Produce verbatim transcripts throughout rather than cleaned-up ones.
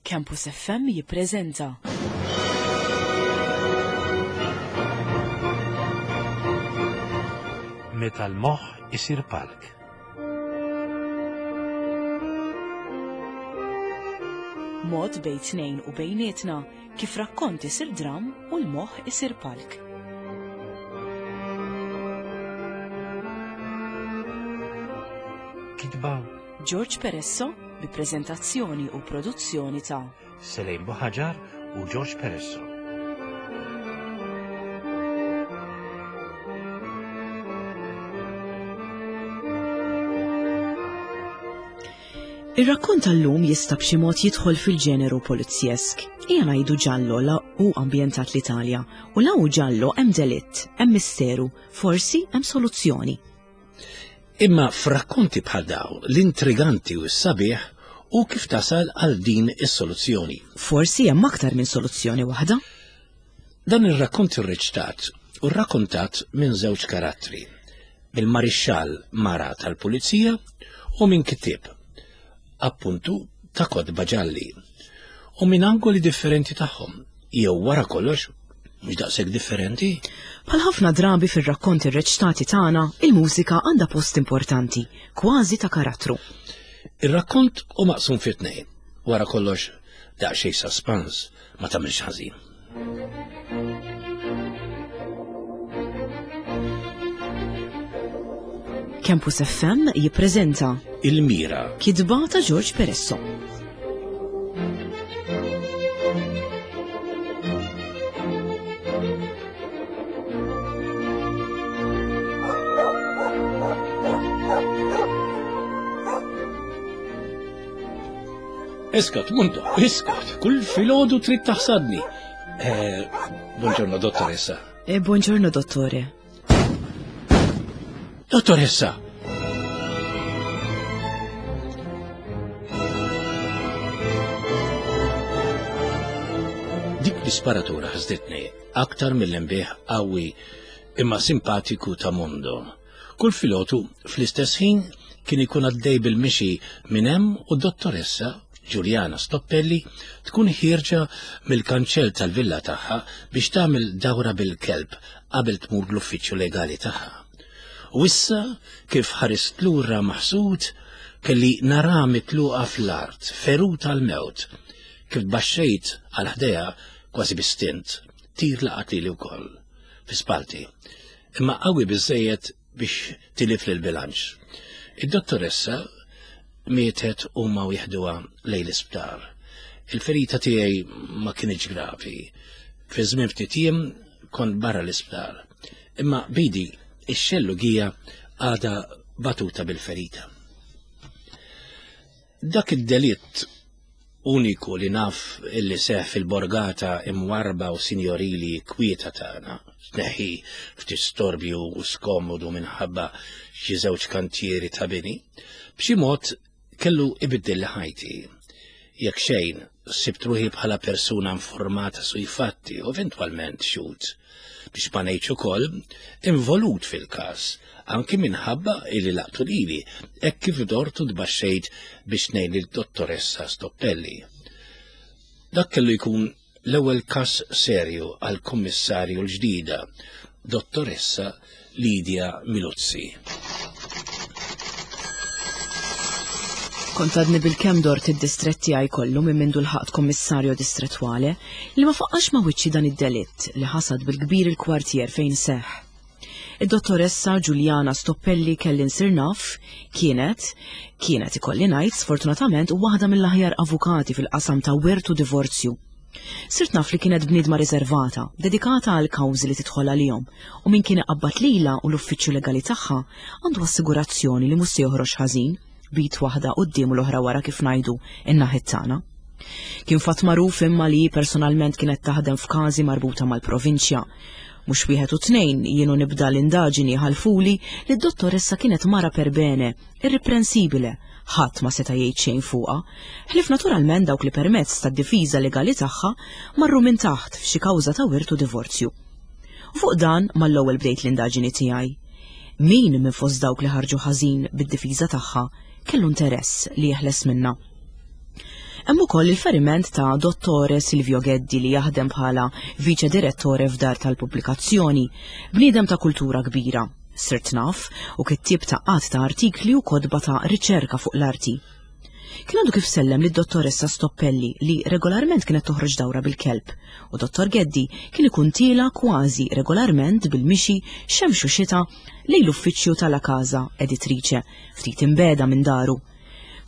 Campus F M jippreżenta Meta l-moħħ isir palk. Mod bejn tnejn u bejnietna kif rakkont isir dram u l-moħħ isir palk. Kitba George Peresso bi preżentazzjoni u produzzjoni ta' Selejn Buħaġar u George Peresso. Ir-rakkont tal-lum jista' b'xi mod jidħol fil-ġeneru polizjesk. Ejja ngħidu ġallo la hu ambjentat l-Italja u la hu ġallo hemm delitt, hemm misteru, forsi hemm soluzzjoni. Imma f'rakkonti bħal dawn, l-intriganti u s-sabiħ u kif tasal għal din is-soluzzjoni. Forsi hemm aktar minn soluzzjoni waħda. Dan ir-rakkont irreċtat u rrakkontat minn żewġ karattri, mill-marixxall mara tal-pulizija u minn kittieb, appuntu ta' kotba ġalli, u minn angoli differenti tagħhom, jew wara kollox mhux daqshekk differenti. Bħal ħafna drabi fir-rakkonti rreċtati tagħna, il-mużika għandha post importanti, kważi ta' karattru. Ir-rakkont hu maqsum fi tnejn, wara kollox daqsxejn suspens ma tagħmilx ħażin. Campus F M jippreżenta Il-Mira, kitba ta' George Peresso. Iskot, Mundo, iskot, kull filgħodu trid taħsadni. Eh, buongiorno, dottoressa. Eh, buongiorno, dottore. Dottoressa! Dik l-isparatura ħasditni aktar mill-imbieħ qawwi imma simpatiku ta' Mondo. Kull filgħodu fl-istess ħin kien ikun għaddej bil-mixi minn hemm u d-dottoressa Giuliana Stoppelli tkun ħierġa mill-kanċell tal-villa tagħha biex tagħmel dawra bil-kelb qabel tmur l-uffiċċju legali tagħha. U issa kif ħarist lura maħsud kelli nara mitluqa fl-art, feruta l-mewt, kif tbaxxejt għal ħdejha kważi bistint, tir laqat lili wkoll, fi spalti, imma qawwi biżżejjed biex tilif lill-bilanċ. Id-dottoressa mietet huma u jieħduha lejn l-isptar. Il-ferita tiegħi ma kinitx gravi. Fi żmien ftit jiem kont barra l-isptar. Imma bidi ix-xellugija għadha batuta bil-ferita. Dak id-delitt uniku li naf illi seħ fil-borgata imwarba u sinjorili kwieta tagħna, tneħħi ftit storbju u skomodu minħabba xi żewġ kantjieri ta' bini, b'xi mod kellu ibiddel ħajti. Jekk xejn, sibt ruħi bħala persuna informata sui fatti u eventwalment xhud, biex ma ngħidx ukoll involut fil-każ, anki minħabba illi laqtu lili, hekk kif dortu tbaxxejt biex ngħin lid-dottoressa Stoppelli. Dak kellu jkun l-ewwel każ serju għall-kummissarju l-ġdida, dottoressa Lidia Miluzzi. Kont għadni bil-kemm dort id-distrett tiegħi kollu minn mindu l-ħaqt kommissarju distrettwale li ma faqqax ma wiċċi dan id-delitt li ħasad bil-kbir il-kwartier fejn seħħ. Id-dottoressa Giuliana Stoppelli kelli nsir naf kienet, kienet ikolli ngħid sfortunatament waħda mill-aħjar avukati fil-qasam ta' wirt u divorzju. Sirt naf li kienet bniedma riservata, dedikata għal kawżi li tidħol għalihom, u min kien iqabbad lilha u l-uffiċċju legali tagħha għandu assigurazzjoni li mhux se joħroġ ħażin, bit waħda quddiem u l-oħra wara kif ngħidu in-naħit tagħna. Kien fatt magħruf imma li personalment kienet taħdem f'każi marbuta mal-provinċja. Mhux wieħed u tnejn jienu nibda l-indaġini ħalfuli li d-dottoressa kienet mara per bene, irreprensibile, ħadd ma seta' jgħid xejn fuqha, ħlief naturalment dawk li permezz tad-difiża legali tagħha marru minn taħt f'xi kawża ta' wirt u divorzju. U fuq dan mal-ewwel bdejt l-indaġini tiegħi. Min minn fost dawk li ħarġu ħażin bid-difiża tagħha kellu interess li jeħles minnha. Hemm ukoll il-feriment ta' Dottore Silvio Geddi li jaħdem bħala viċe direttore f'dar tal-pubblikazzjoni, bniedem ta' kultura kbira, sirt naf u kittieb ta' qatt ta' artikli u kotba ta' riċerka fuq l-arti. Kien għadu kif sellem lid dottoressa Stoppelli li regolarment kienet toħroġ dawra bil-kelb u Dottor Geddi kien ikun tiela kważi regolarment bil-mixi xemx u xita lejn l-uffiċċju tal-La Casa Editrice ftit imbeda minn daru.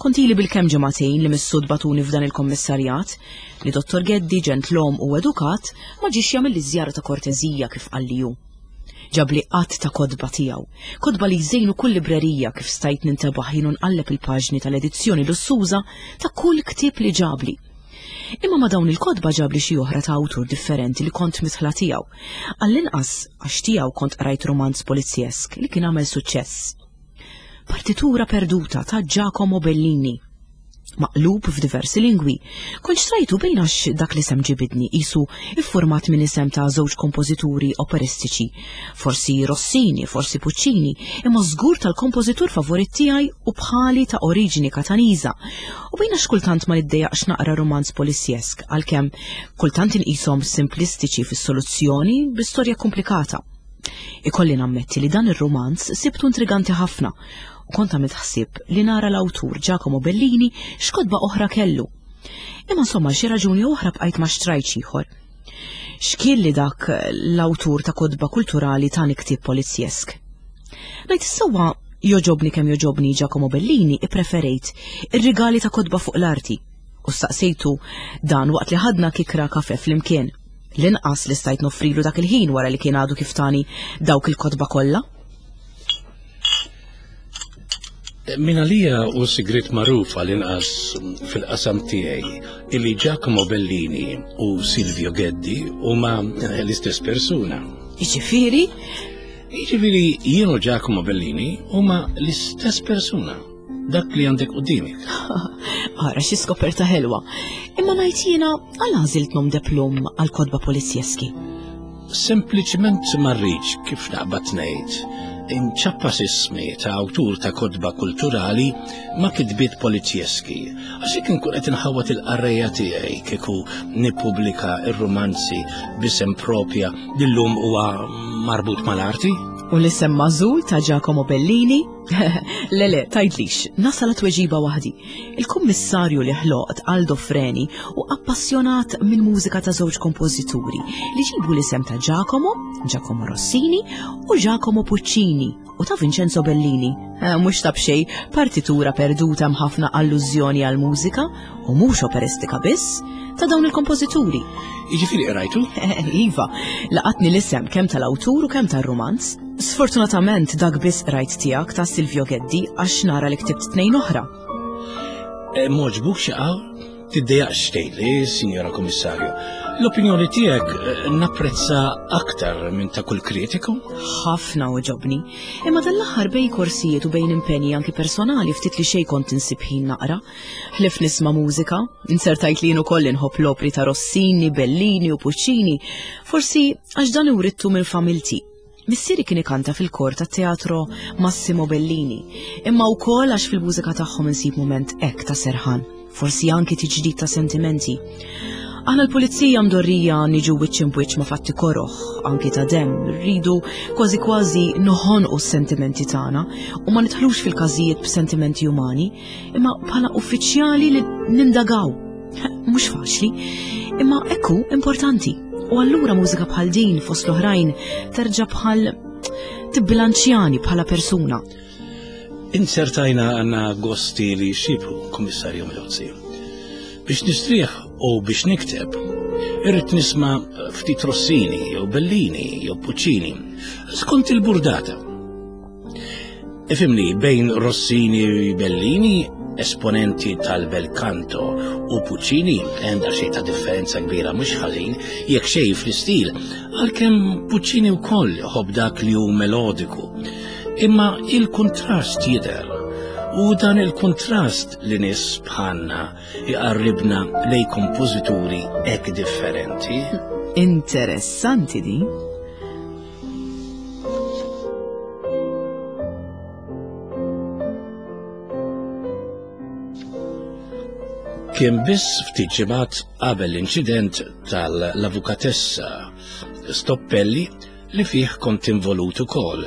Kont ili bil-kemm ġimagħtejn li mis-sud batuni f'dan il-kommissarjat li Dottor Geddi ġentlom u edukat ma ġiex jagħmel żjara ta' korteżija kif qalli hu. Ġabli qatt ta' kotba tiegħu, kotba li jżejnu kull librerija kif stajt nintebaħ jien u nqalleb il-paġni tal-edizzjoni lussuża ta' kull ktieb li ġabli. Imma ma' dawn il-kotba ġabli xi oħra ta' awtur differenti li kont mitħla tiegħu. Għall-inqas għax tiegħu kont qrajt romanz polizjesk li kien għamel suċċess. Partitura perduta ta' Giacomo Bellini, maqlub f'diversi lingwi. Kont xtrajtu bejn għax dak l-isem ġibidni qisu iffurmat minn isem ta' żewġ kompożituri operistiċi, forsi Rossini, forsi Puccini, imma żgur tal-kompożitur favorit tiegħi u bħali ta' oriġini Kataniża. U bejn għax kultant ma niddejjaqx naqra romanz polizjesk, għalkemm kultant inqishom simplistiċi fis-soluzzjoni bi storja komplikata. Ikolli nammetti li dan ir-romanz sibtu intriganti ħafna u kont għamilt ħsieb li nara l-awtur Giacomo Bellini x'kotba oħra kellu. Imma insomma xi raġuni oħra bqajt ma xtrajtx ieħor. X'kien li dak l-awtur ta' kotba kulturali tani ktieb polizjesk? Ngħid is-sewwa joġobni kemm joġobni Giacomo Bellini ippreferejt ir-rigali ta' kotba fuq l-arti u staqsejtu dan waqt li ħadna kikra kafe flimkien. L-inqas li stajt noffrilu dak il-ħin wara li kien għadu kif tani dawk il-kotba kollha. Min għalija hu sigriet magħruf għall-inqas fil-qasam tiegħi illi Giacomo Bellini u Silvio Geddi huma l-istess persuna. Jiġifieri? Jiġifieri jien u Giacomo Bellini huma l-istess persuna. Dak li għandek quddiemek. Ara xi skoperta ħelwa. Imma ngħid jiena għal għażilt nom de plum għal kotba polizjeski. Sempliċement ma rridx kif naqbad ngħid inċappas ismi ta' awtur ta' kotba kulturali ma' kitbiet polizjeski. Għax jekk inkun qed inħawwad il-qarrejja tiegħi kieku nippubblika r-romanzi b'isem propja li llum huwa marbut mal-arti. U l-isem magħżul ta' Giacomo Bellini? Le le, tgħidlix, nasal tweġiba waħdi. Il-kummissarju li ħloqt Aldo Freni u appassjonat mill-mużika ta' żewġ kompożituri li ġibu l-isem ta' Giacomo, Giacomo Rossini u Giacomo Puccini u ta' Vincenzo Bellini. Eh, mhux ta' b'xejn, partitura perduta m'ħafna allużjoni għal mużika u mhux operistika biss ta' dawn il-kompożituri. Jiġifieri qrajtu? Iva, laqatni l-isem kemm tal-awtur u kemm tar-romanz. Sfortunatament dak biss qrajt tiegħek ta' Silvio Geddi għax nara li ktibt tnejn oħra. E, M'għoġbuk xi qawl? Tiddejjaqx tgħidli, Sinjora Kummissarju. L-opinjoni tiegħek eh, napprezza aktar minn ta' kull kritiku. Ħafna oġobni, imma dan l-aħħar bejn korsijiet u bejn impenji anki personali ftit li xejn kont insib ħin naqra. Ħlif nisma' mużika, insertajt li jien ukoll inħobb l-opri ta' Rossini, Bellini u Puccini, forsi għax dan iwrittu minn familti. Missieri kien ikanta fil-kor tat-teatro Massimo Bellini, imma wkoll għax fil-mużika tagħhom insib mument hekk ta' serħan, forsi anki tiġdid ta' sentimenti. Aħna l-pulizija mdorrija niġu wiċċ imbwiċċ ma' fatti koroħ, anki ta' demm, rridu kważi kważi noħonqu s-sentimenti tagħna u ma nidħlux fil-każijiet b'sentimenti umani, imma bħala uffiċjali li nindagaw. Mhux faċli, imma ekku importanti. U allura mużika bħal din fost l-oħrajn terġa' bħal tibbilanċjani bħala persuna. Insertajna għandna gosti li xibru, Kummissarju Melozzi. Biex nistrieħ u biex nikteb, irrid nisma' ftit Rossini jew Bellini jew Puccini, skont il-burdata. Ifimni, bejn Rossini u Bellini, esponenti tal-bel canto u Puccini hemm xejn ta' differenza kbira mhux ħażin jekk xejn fl-istil, għalkemm Puccini wkoll ħobb dak li hu melodiku. Imma il-kontrast jidher, u dan il-kontrast li nies bħalna iqarribna lej kompożituri hekk differenti. Interessanti din. Kien biss ftit ġimgħat qabel l-inċident tal-avukatessa Stoppelli li fih kont involut ukoll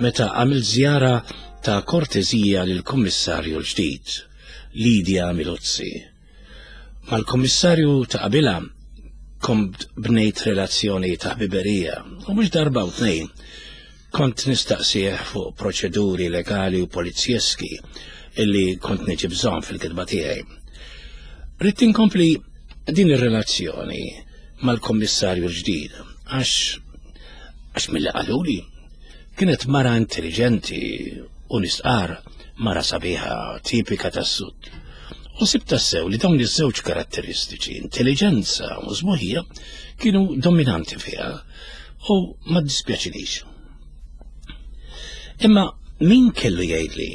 meta għamil żjara ta' kortezija lill-kummissarju l-ġdid, Lidia Miluzzi. Mal-kummissarju ta' qabilha kont bnejt relazzjoni ta' ħbiberija u mhux darba u tnejn kont nistaqsih fuq proċeduri legali u polizjeski illi kont niġi bżonn fil-kitba tiegħi. Ridt inkompli din ir-relazzjoni mal-kommissarju l-ġdid għax għax milli qaluli kienet mara intelligenti u nistqar mara sabiħa tipika tas-sud. U sibt tassew li dawn iż-żewġ karatteristiċi, intelligenza u sbuħija, kienu dominanti fiha u ma ddispjaċinix. Imma min kellu jgħidli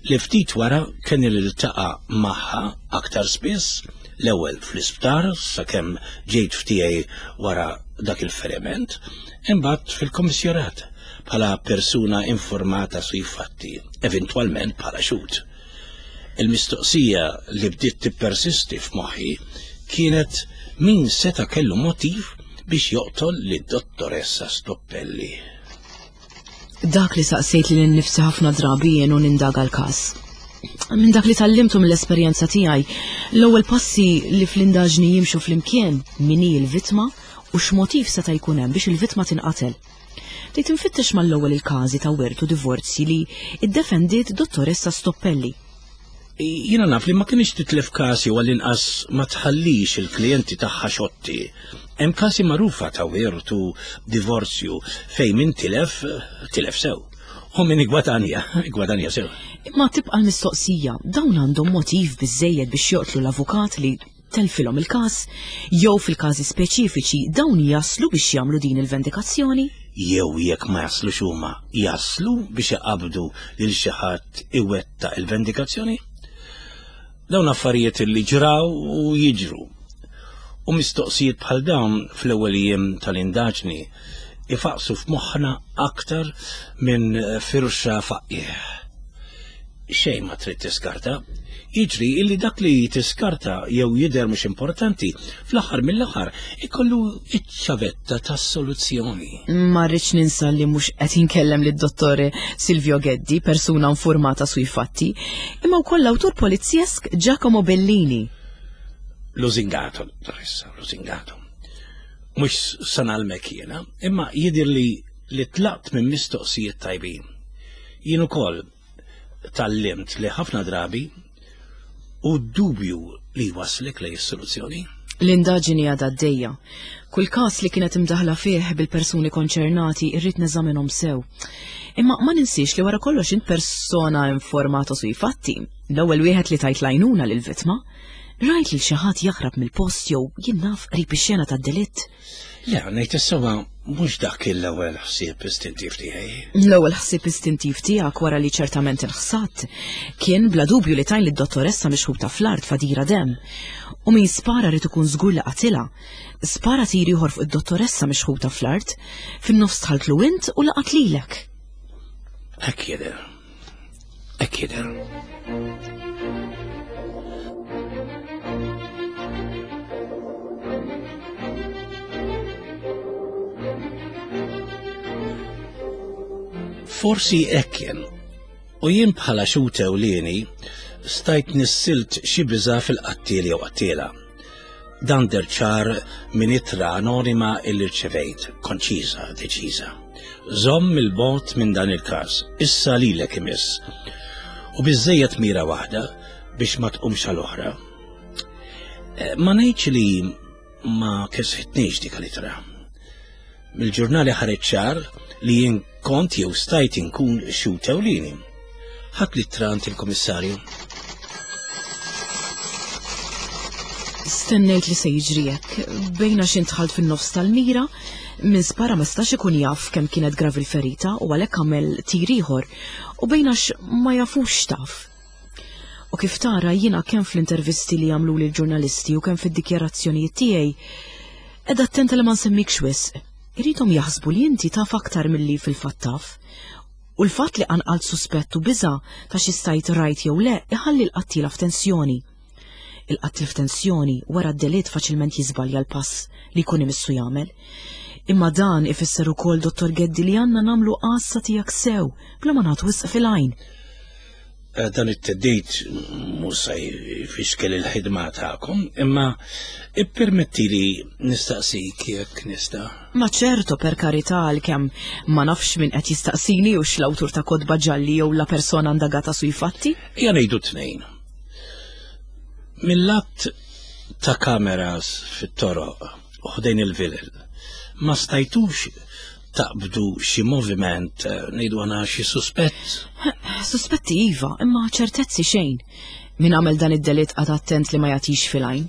li ftit wara kien iltaqa' magħha aktar spiss, l-ewwel fl-isptar sakemm ġejt ftiegħi wara dak il-feriment, imbagħad fil-kommissjorat bħala persuna informata sui fatti, eventwalment bħala xhud. Il-mistoqsija li bdiet tippersisti f'moħħi kienet min seta' kellu motiv biex joqtol lid-dottoressa Stoppelli. Dak li saqsejt lili nnifsi ħafna drabi jien u nindaga l-każ. Minn dak li tgħallimtu mill-esperjenza tiegħi, l-ewwel passi li fl-indaġni jimxu flimkien min hi l-vittma u x'motiv seta' jkun hemm biex il-vittma tinqatel. Bdejt infittex mal-ewwel il-każi ta' wirt u divorzji li iddefendiet dottoressa Stoppelli. Jiena naf li ma kienx titlef kasi u għall-inqas ma tħallix il-klijenti tagħha xotti. Hemm kasi magħrufa ta' wirt u divorzju fejn min tilef, tilef sew. U min igwadanja, igwadanja sew. Imma tibqa' l-mistoqsija, dawn għandhom motiv biżejjed biex joqtlu l-avukat li telfilhom il-każ, jew fil-każi speċifiċi dawn jaslu biex jagħmlu din il-vendikazzjoni? Jew jekk ma jaslux huma, jaslu biex iqabdu lil xi ħadd iwettaq il-vendikazzjoni? Dawn affarijiet li ġraw u jiġru. U mistoqsijiet bħal dawn fl-ewwel jiem tal-indaġni ifaqsu f'moħħna aktar minn firxa faqih. Xejn ma trid tiskarta. Jiġri illi dak li tiskarta jew jidher mhux importanti, fl-aħħar mill-aħħar ikollu iċ-ċavetta tas-soluzzjoni. Ma rridx ninsa li mhux qed inkellem lid-dottore Silvio Geddi, persuna informata sui fatti, imma wkoll l-awtur polizjesk Giacomo Bellini. Lusingato, dottoressa, lusingato. Mhux se ngħallmek jiena, imma jidher li li tlaqt minn mistoqsijiet tajbin. Jien ukoll tgħallimt li ħafna drabi u dubju li waslek lejn is-soluzzjoni. L-indaġini għadha għaddejja. Kull każ li kienet imdaħla fih bil-persuni konċernati irrid neżaminhom sew. Imma ma ninsiex li wara kollox int persona informata sui fatti. L-ewwel wieħed li tajt lajnuna lill-vittma. Rajt li xi ħadd jaħrab mill-post jew jien naf qrib ix-xena tad-delitt. Le, ngħid is-sewwa mhux dak l-ewwel ħsieb istintiv tiegħi. L-ewwel ħsieb istintiv tiegħek wara li ċertament inħsatt kien bla dubju li tajn lid-dottoressa mixħuta fl-art fadira dem. U min spara rid ikun żgur li qatilha. Spara tir ieħor fuq id-dottoressa mixħuta fl-art, fin-nofs dħaltlu int u laqat lilek. Hekk jidher. Hekk jidher. Forsi hekk kien. U jien bħala xhud ewlieni stajt nissilt xi biża' fil-qattiel jew qattiela. Dan deher ċar minn ittra anonima illi rċevejt, konċiża, deċiża. Żomm il-bogħod minn dan il-każ, issa lilek imiss. U biżejjed mira waħda biex ma tqumx għal oħra. Ma ngħidx li ma kesħitniex dik l-ittra. Mill-ġurnali ħareġ ċar li jien kont jew stajt inkun xhud ewlieni. Ħadt l-ittra għand il-kummissarju. Stennejt li se jiġri hekk, bejna xi dħalt fin-nofs tal-mira, min spara ma stax ikun jaf kemm kienet gravi l-ferita u għalhekk għamel tir ieħor, u bejna ma jafux taf. U kif tara jiena kemm fl-intervisti li għamlu l-ġurnalisti u kemm fid-dikjarazzjonijiet tiegħi, qiegħda attenta li ma nsemmikx wisq. Irridhom jaħsbu li inti taf aktar milli fil-fatt taf. U l-fatt li qanqalt suspett u biża' ta' xi stajt rajt jew le iħalli l-qattiela f'tensjoni. Il-qattil f'tensjoni wara d-delitt faċilment jiżbalja l-pass li jkun imissu jagħmel. Imma dan ifisser ukoll, Dottor Geddi, li għandna nagħmlu għassa tiegħek sew bla ma nagħtu wisq fil-għajn. Dan it-teddid mhux se jfixkel il-ħidma tagħkom, imma ippermetti li nistaqsik jekk nista'. Ma ċerto, per karità, għalkemm ma nafx min qed jistaqsini u l-awtur ta' kotba ġalli jew la persona indagata sui fatti. Ja ngħidu tnejn. Mill-att ta' kameras fit-toroq u ħdejn il-vilel, ma stajtux taqbdu xi moviment, ngħidu għana xi suspett? Suspetti iva, imma ċertezzi xejn. Min għamel dan id-delitt qagħad attent li ma jagħtix fil-għajn.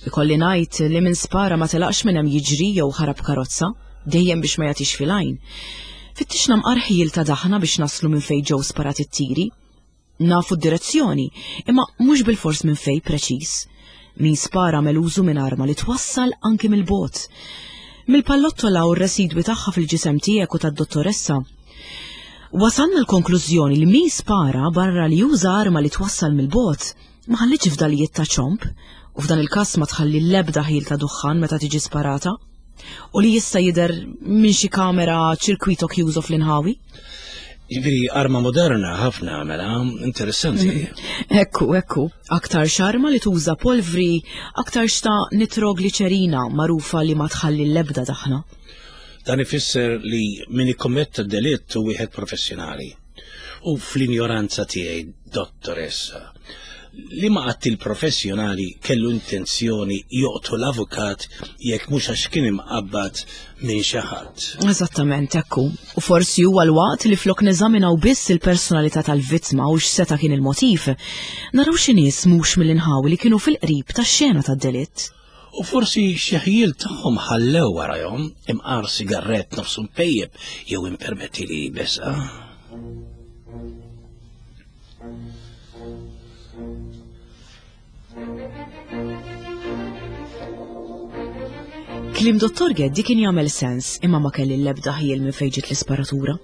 Ikolli ngħid li min spara ma telaqx minn hemm jiġri jew ħarab karozza, dejjem biex ma jagħtix fil-għajn. Fittixna mqar ħjiel ta' daħna biex naslu minn fejn ġew sparat it-tiri. Nafu d-direzzjoni, imma mhux bil-fors minn fejn preċiż. Min spara għamel użu minn arma li twassal anki mill-bogħod. Mill-pallottola u r-residwi tagħha fil-ġisem tiegħek u tad-dottoressa. Wasalna l-konklużjoni li min spara barra li juża arma li twassal mill-bogħod ma ħallitx fdalijiet ta' ċomb, u f'dan il-każ ma tħalli l-ebda ħil ta' duħħan meta tiġi sparata, u li jista' jidher minn xi kamera ċirkwito chiuso fl-inħawi. Jiġifieri arma moderna ħafna, mela, interessanti. Ekku, ekku, aktar xarma li tuża polvri, aktar xta nitrogliċerina magħrufa li ma tħalli l-ebda daħna. Dan ifisser li min ikkommetta delitt hu wieħed professjonali. U fl-injoranza tiegħi, dottoressa, li ma qattil professjonali kellu intenzjoni joqtol l-avukat jekk mhux għax kien imqabbad minn xi ħadd. Eżattament, ekku. U forsi huwa l-waqt li flok neżaminaw biss il-personalità tal-vittma u x'seta' kien il-motiv, naraw xi nies mhux mill-inħawi li kienu fil-qrib tax-xena tad-delitt. U forsi xi ħjiel tagħhom ħallew warahom imqar sigarett nofsu mpejjeb jew impermetti li besqa. Kliem Dottor Geddi kien jagħmel sens, imma ma kelli l-ebda ħjiel minn fejn ġiet l-isparatura.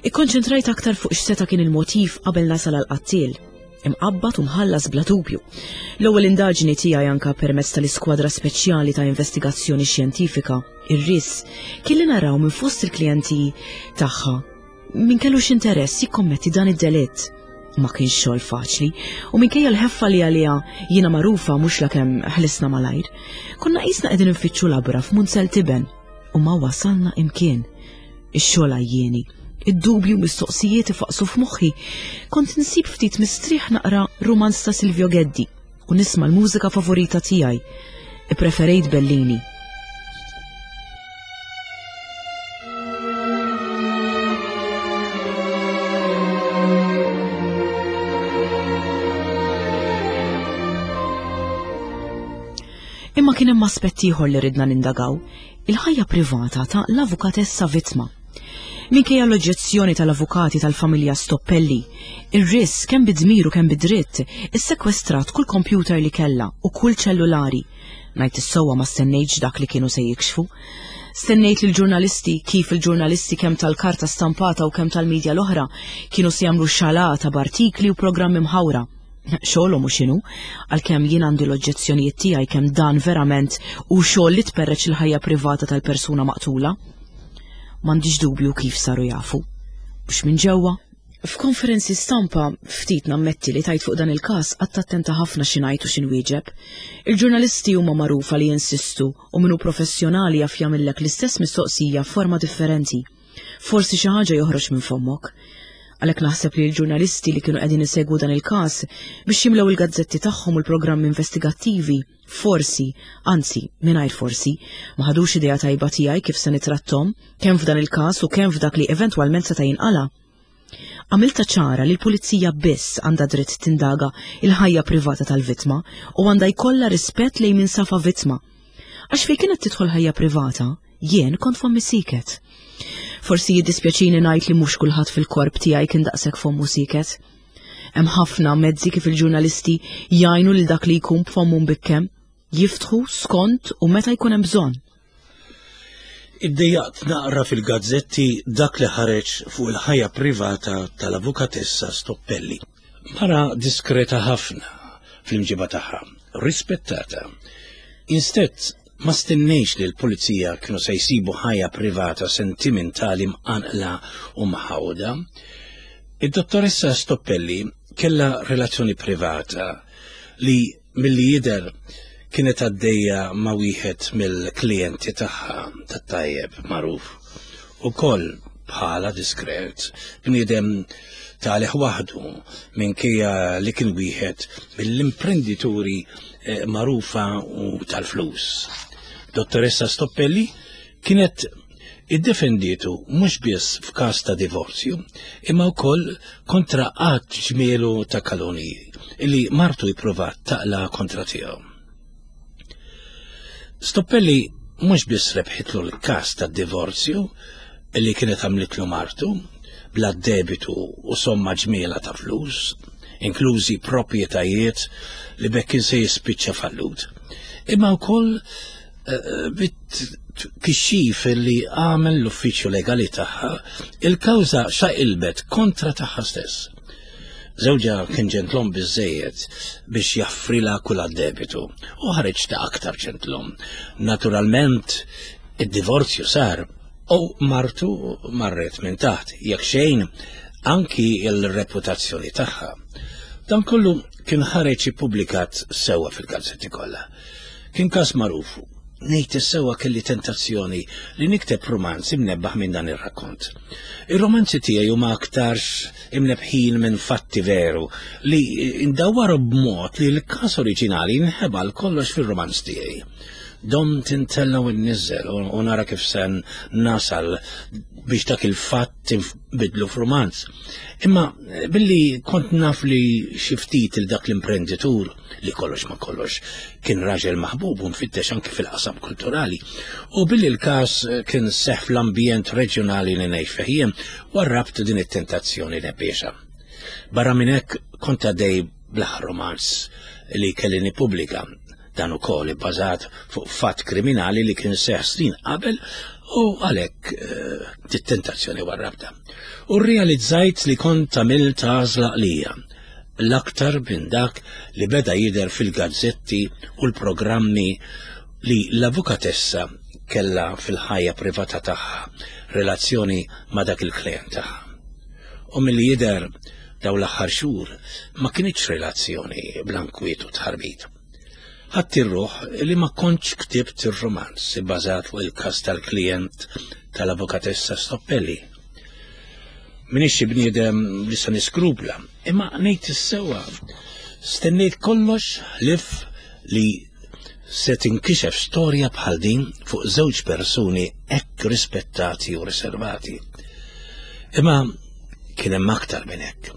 Ikkonċentrajt aktar fuq x'seta' kien il-motiv qabel nasal għall-qattiel. Imqabbad u mħallas bla dubju. L-ewwel indaġni tiegħi anka permezz tal-iskwadra speċjali ta' investigazzjoni xjentifika, ir-R I S, kien li naraw minn fost il-klijenti tagħha min kellux interess jikkommetti dan id-delitt. Ma kienx xogħol faċli, u minkejja l-ħeffa li għaliha jiena magħrufa mhux lakemm ħlisna malajr, konna qisna qegħdin nfittxu labra f'munzel tiben u ma wasalna imkien. Ix-xogħol għajjieni, id-dubju mistoqsijiet ifaqsu f'moħħi, kont nsib ftit mistrieħ naqra rumanz ta' Silvio Geddi u nisma' l-mużika favorita tiegħi. Ippreferejt Bellini. Imma kien hemm aspett ieħor li ridna nindagaw, il-ħajja privata ta' l-avukatessa vittma. Minkejja l-oġġezzjoni tal-avukati tal-familja Stoppelli, ir-R I S kemm bidmiru kemm bidritt issekwestrat kull kompjuter li kellha u kull ċellulari. Ngħid is-sewwa ma stennejtx dak li kienu se jikxfu. Stennejt li l-ġurnalisti, kif il-ġurnalisti kemm tal-karta stampata u kemm tal-medja l-oħra, kienu se jagħmlu xalata b'artikli u programmi mħawra. Xogħolhom u x'inhu, għalkemm jien għandi l-oġġezzjonijiet tiegħi kemm dan verament u xogħol li tperreċ il-ħajja privata tal-persuna maqtula. M'għandix dubju kif saru jafu. Mhux minn ġewwa. F'konferenzi stampa ftit nammetti li tajt fuq dan il-każ qatt attenta ħafna xi ngħid u xi nwieġeb. Il-ġurnalisti huma magħrufa li jinsistu u minnu professjonali jaf jagħmillek l-istess mistoqsija f'forma differenti. Forsi xi ħaġa joħroġ minn fommok. Għalhekk naħseb li l-ġurnalisti li kienu qegħdin isegwu dan il-każ biex jimlew il-gazzetti tagħhom u l-programmi investigattivi, forsi, anzi, mingħajr forsi, ma ħadux idea tajba tiegħi kif se nitrattom, kemm f'dan il-każ u kemm f'dak li eventwalment seta' jinqala. Għamilta ċara li l-pulizija biss għandha dritt tindaga il-ħajja privata tal-vittma u għandha jkollha rispett lejn min safa vittma. Għax fejn kienet tidħol ħajja privata, jien kont fommi siket. Forsi jiddispjaċini ngħid li mhux kulħadd fil-korp tiegħi kien daqshekk fommu siket. Hemm ħafna mezzi kif il-ġurnalisti jgħinu lil dak li jkun b'fommu mbikkem, jiftħu skont u meta jkun hemm bżonn. Iddejjaqt naqra fil-gazzetti dak li ħareġ fuq il-ħajja privata tal-avukatessa Stoppelli. Mara diskreta ħafna, fl-imġiba tagħha, rispettata. Instead, ma stennejx li l-pulizija kienu se jsibu ħajja privata sentimentali mqanqla u mħawda. Id-dottoressa Stoppelli kellha relazzjoni privata li milli jidher kienet għaddejja ma' wieħed mill-klijenti tagħha tat-tajjeb magħruf. Ukoll bħala diskret, bniedem talih waħdu minkejja li kien wieħed mill-imprendituri eh, magħrufa u tal-flus. Dottoressa Stoppelli kienet iddefendietu mhux biss f'każ ta' divorzju, imma wkoll kontra qatt ġmielu ta' kaloni illi martu jipprovat taqla kontra tiegħu. Stoppelli mhux biss rebħitlu l-każ tad-divorzju illi kienet għamlitlu martu, bla debitu u somma ġmiela ta' flus, inklużi proprjetajiet li bekk kien se jispiċċa fallut. Imma wkoll eh, bit-kixxif li għamel l-uffiċċju legali tagħha, il-kawża xaqilbet kontra tagħha stess. Żewġha kien ġentlom biżejjed biex jaffrila kull debitu u ħareġ ta' aktar ġentlom. Naturalment, id-divorzju sar u martu marret minn taħt, jekk xejn anki il-reputazzjoni tagħha. Dan kollu kien ħareġ ippubblikat sewwa fil-gazzetti kollha. Kien każ magħruf. Ngħid is-sewwa kelli tentazzjoni li nikteb romanz imnebbaħ minn dan ir-rakkont. Ir-romanzi tiegħi huma aktarx imnebħin minn fatti veru li ndawwaru b'mod li l-każ oriġinali nħebal kollox fir-romanz tiegħi. Dom tintella u nniżżel u nara kif se nasal biex dak il-fatt inbidlu f'romanz. Imma billi kont naf li xi ftit il dak l-imprenditur li kollox ma kollox kien raġel maħbub u mfittex anki fil-qasam kulturali, u billi l-każ kien seħ fl-ambjent reġjonali li ngħix fih jien, warrabt din it-tentazzjoni nebbiexha. Barra minn hekk kont għaddej bl-aħħar romanz li kelli nippubblika. Dan ukoll ibbażat fuq fatt kriminali li kien seħ snin qabel u għalhekk eh, dit-tentazzjoni warrabta. U rrealizzajt li kont għamilt għażla għalija, l-aktar minn dak li beda jidher fil-gazzetti u l-programmi li l-avukatessa kellha fil-ħajja privata tagħha relazzjoni ma' dak il-klient tagħha. U milli jidher dawn l-aħħar xhur ma kinitx relazzjoni bl-ankwiet u tħarbit. Ħadd ir-ruħ li ma kontx ktibt ir-romanz ibbażat fuq il-każ tal-klijent tal-avukatessa Stoppelli. Minix xi bniedem li se niskrupla, imma ngħid is-sewwa stennejt kollox ħlief li se tinkixef storja bħal din fuq żewġ persuni hekk rispettati u riservati. Imma kien hemm aktar minn hekk.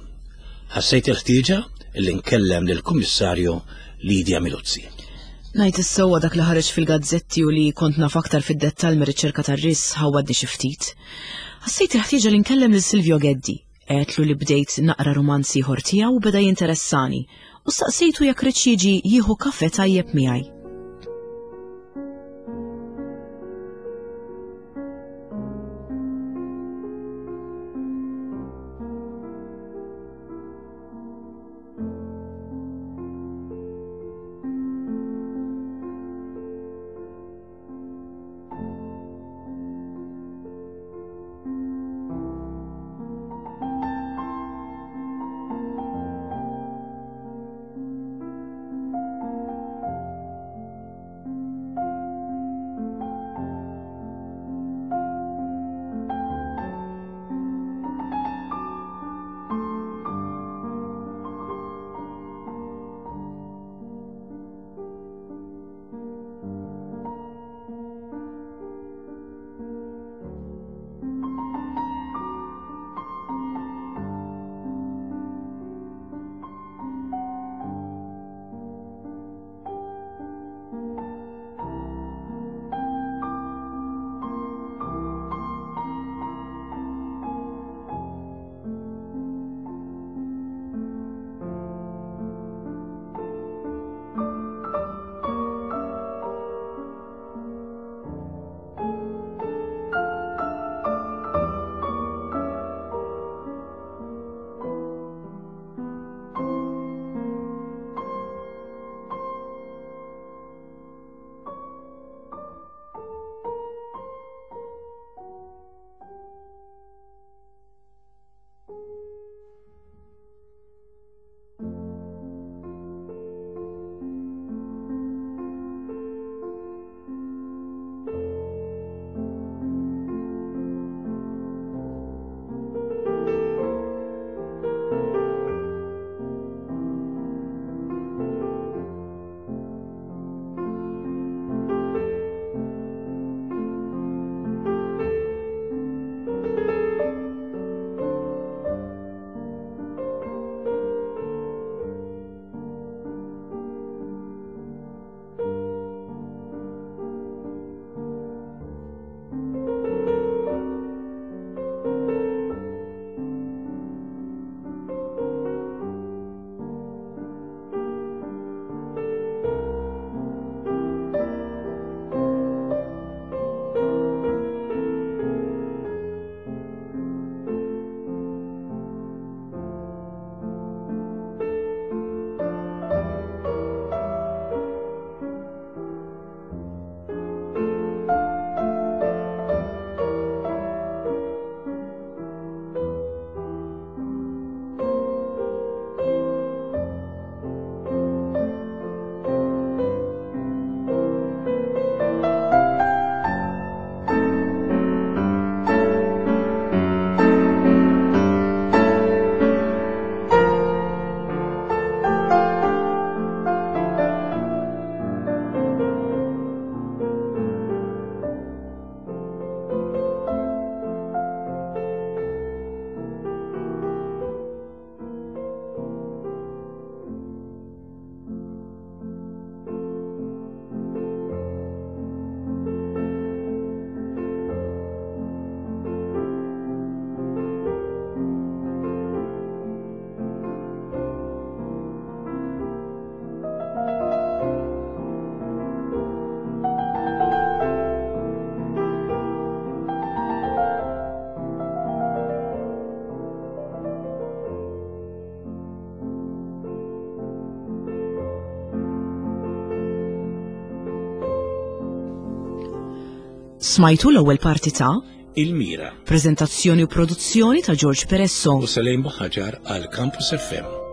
Ħassejt il-ħtieġa li nkellem lill-Kummissarju Lidia Miluzzi. Ngħid is-sewwa dak li ħareġ fil-gazzetti u li kont naf aktar fid-dettall mir-riċerka tar-ris ħawadni xi ftit. Ħassejt il-ħtieġa li nkellem lil Silvio Geddi. Għedtlu li bdejt naqra romanzi ieħor tiegħu u beda jinteressani u staqsejtu jekk riedx jiġi jieħu kafe tajjeb miegħi. Smajtu l-ewwel parti ta' Il-Mira Prezentazzjoni u produzzjoni ta' George Peresso. U Salem Buħaġar għal Campus F M.